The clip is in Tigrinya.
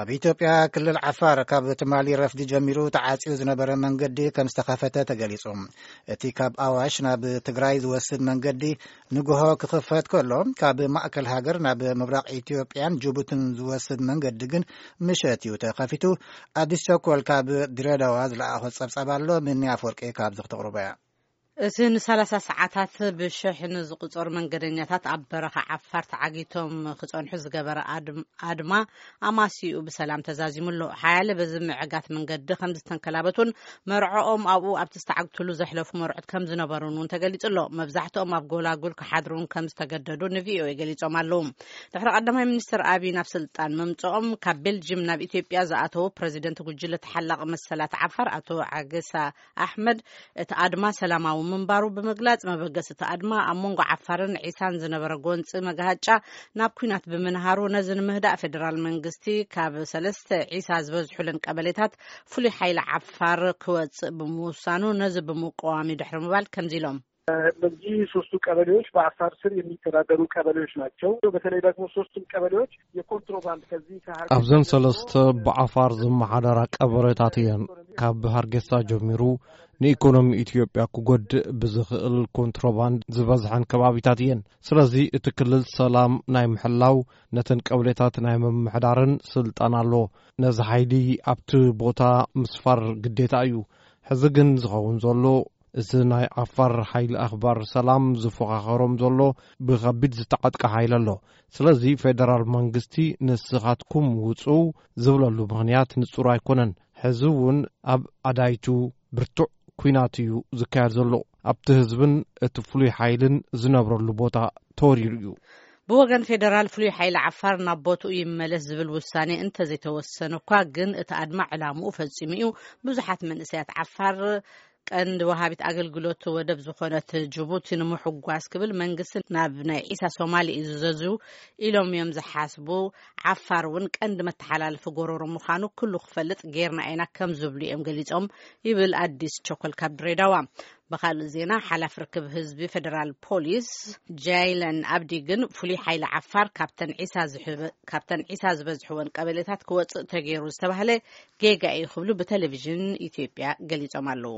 ኣብ ኢትዮጵያ ክልል ዓፋር ካብ ትማሊ ረፍዲ ጀሚሩ ተዓጽዩ ዝነበረ መንገዲ ከም ዝተኸፈተ ተገሊጹ። እቲ ካብ ኣዋሽ ናብ ትግራይ ዝወስድ መንገዲ ንግሆ ክኽፈት ከሎ፣ ካብ ማእከል ሃገር ናብ ምብራቕ ኢትዮጵያን ጅቡትን ዝወስድ መንገዲ ግን ምሸት እዩ ተኸፊቱ። ኣዲስ ቸኮል ካብ ድሬዳዋ ዝለኣኾ ጸብጻብ ኣሎ። ምንያ ኣፈወርቂ ካብዚ ክተቕርቦ እያ። እቲ ንሰላሳ ሰዓታት ብሽሕ ንዝቑጸሩ መንገደኛታት ኣብ በረኻ ዓፋር ተዓጊቶም ክጸንሑ ዝገበረ ኣድም-፣ ኣድማ ኣማሲኡ ብሰላም ተዛዚሙ ኣሎ። ሓያለ በዚ ምዕጋት መንገዲ ከም ዝተንከላበቱን መርዖኦም ኣብኡ ኣብቲ ዝተዓግትሉ ዘሕለፉ መርዑት ከም ዝነበሩን እውን ተገሊጹ ኣሎ። መብዛሕትኦም ኣብ ጎላጉል ክሓድሩ እውን ከም ዝተገደዱ ንቪኦኤ ገሊጾም ኣለዉ። ድሕሪ ቀዳማይ ሚኒስትር ኣቢይ ናብ ስልጣን ምምጽኦም ካብ ቤልጅም ናብ ኢትዮጵያ ዝኣተዉ ፕረዚደንት ጉጅለ ተሓላቒ መሰላት ዓፋር ኣቶ ዓገሳ ኣሕመድ እቲ ኣድማ ሰላማዊ ምንባሩ ብምግላጽ፣ መበገሲ እቲ ኣድማ ኣብ መንጎ ዓፋርን ዒሳን ዝነበረ ጎንጺ መጋሃጫ ናብ ኲናት ብምንሃሩ፣ ነዚ ንምህዳእ ፌደራል መንግስቲ ካብ ሰለስተ ዒሳ ዝበዝሑለን ቀበሌታት ፍሉይ ሓይሊ ዓፋር ክወጽእ ብምውሳኑ፣ ነዚ ብምቅዋም እዩ ድሕሪ ምባል ከምዚ ኢሎም። በዚህ ሶስቱ ቀበሌዎች በአፋር ስር የሚተዳደሩ ቀበሌዎች ናቸው። በተለይ ደግሞ ሶስቱም ቀበሌዎች የኮንትሮባንድ ከዚህ ከሀገር ኣብዘን ሰለስተ ብዓፋር ዝመሓደራ ቀበሌታት እየን። ካብ ሃርጌሳ ጀሚሩ ንኢኮኖሚ ኢትዮጵያ ክጎድእ ብዝኽእል ኮንትሮባንድ ዝበዝሐን ከባቢታት እየን። ስለዚ እቲ ክልል ሰላም ናይ ምሕላው ነተን ቀበሌታት ናይ ምምሕዳርን ስልጣን ኣሎ። ነዚ ሓይሊ ኣብቲ ቦታ ምስፋር ግዴታ እዩ። ሕዚ ግን ዝኸውን ዘሎ፣ እዚ ናይ ዓፋር ሓይሊ ኣኽባር ሰላም ዝፎኻኸሮም ዘሎ ብኸቢድ ዝተዓጥቀ ሓይሊ ኣሎ። ስለዚ ፌደራል መንግስቲ ንስኻትኩም ውጹ ዝብለሉ ምኽንያት ንጹር ኣይኮነን። ሕዚ እውን ኣብ ኣዳይቱ ብርቱዕ ኲናት እዩ ዝካየድ ዘሎ። ኣብቲ ህዝብን እቲ ፍሉይ ሓይልን ዝነብረሉ ቦታ ተወሪሩ እዩ። ብወገን ፌደራል ፍሉይ ሓይሊ ዓፋር ናብ ቦትኡ ይመለስ ዝብል ውሳኔ እንተዘይተወሰነ እኳ፣ ግን እቲ ኣድማ ዕላምኡ ፈጺሙ እዩ። ብዙሓት መንእሰያት ዓፋር ቀንዲ ወሃቢት ኣገልግሎት ወደብ ዝኾነት ጅቡቲ ንምሕጓስ ክብል መንግስቲ ናብ ናይ ዒሳ ሶማሊ እዩ ዝዘዙ ኢሎም እዮም ዝሓስቡ። ዓፋር እውን ቀንዲ መተሓላለፊ ጎረሮ ምዃኑ ኩሉ ክፈልጥ ጌርና ኢና ከም ዝብሉ እዮም ገሊጾም ይብል ኣዲስ ቸኮል ካብ ድሬዳዋ። ብኻልእ ዜና፣ ሓላፊ ርክብ ህዝቢ ፌደራል ፖሊስ ጃይለን ኣብዲ ግን ፍሉይ ሓይሊ ዓፋር ካብተን ዒሳ ዝሕበ-፣ ካብተን ዒሳ ዝበዝሕወን ቀበሌታት ክወጽእ ተገይሩ ዝተባህለ ጌጋ እዩ ክብሉ ብቴሌቪዥን ኢትዮጵያ ገሊጾም ኣለዉ።